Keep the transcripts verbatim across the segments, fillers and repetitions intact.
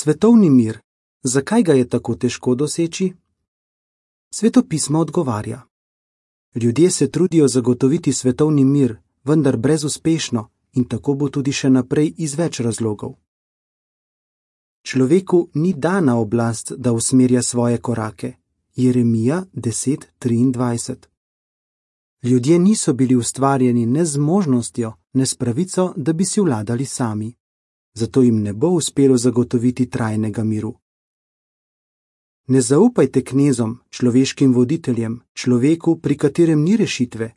Svetovni mir. Zakaj ga je tako težko doseči? Sveto pismo odgovarja. Ljudje se trudijo zagotoviti svetovni mir, vendar brezuspešno, in tako bo tudi še naprej iz več razlogov. Človeku ni dana oblast, da usmerja svoje korake. Jeremija deset triindvajset. Ljudje niso bili ustvarjeni ne z možnostjo, ne s pravico, da bi si vladali sami. Zato jim ne bo uspelo zagotoviti trajnega miru. Ne zaupajte knezom, človeškim voditeljem, človeku, pri katerem ni rešitve.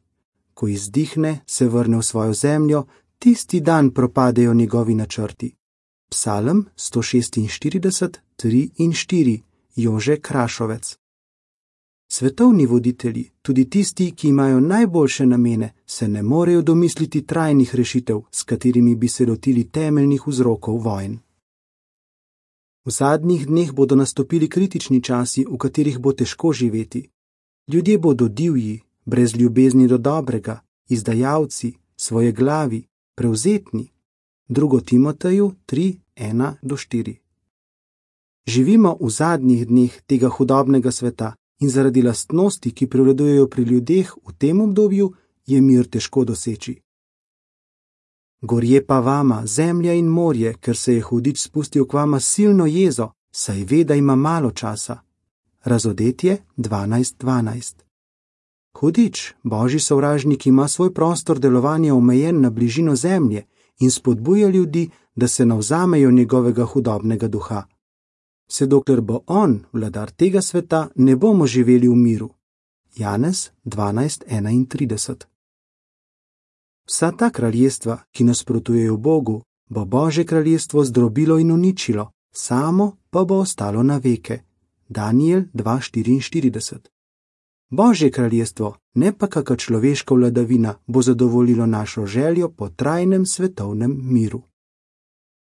Ko izdihne, se vrne v svojo zemljo, tisti dan propadejo njegovi načrti. Psalm sto šestinštirideset, tri in štiri, Jože Krašovec. Svetovni voditelji, tudi tisti, ki imajo najboljše namene, se ne morejo domisliti trajnih rešitev, s katerimi bi se lotili temeljnih vzrokov vojn. V zadnjih dneh bodo nastopili kritični časi, v katerih bo težko živeti. Ljudje bodo divji, brez ljubezni do dobrega, izdajalci, svojeglavi, prevzetni. drugo Timoteju tri, ena do štiri. Živimo v zadnjih dneh tega hudobnega sveta in zaradi lastnosti, ki prevladujejo pri ljudeh v tem obdobju, je mir težko doseči. Gorje pa vama, zemlja in morje, ker se je hudič spustil k vama silno jezo, saj ve, da ima malo časa. Razodetje dvanajst dvanajst. Hudič, božji sovražnik, ima svoj prostor delovanja omejen na bližino zemlje in spodbuja ljudi, da se navzamejo njegovega hudobnega duha. Vse dokler bo on, vladar tega sveta, ne bomo živeli v miru. Janez dvanajst enaintrideset. Vsa ta kraljestva, ki nasprotujejo Bogu, bo Božje kraljestvo zdrobilo in uničilo, samo pa bo ostalo na veke. Danijel dva štiriinštirideset. Božje kraljestvo, ne pa kaka človeška vladavina, bo zadovoljilo našo željo po trajnem svetovnem miru.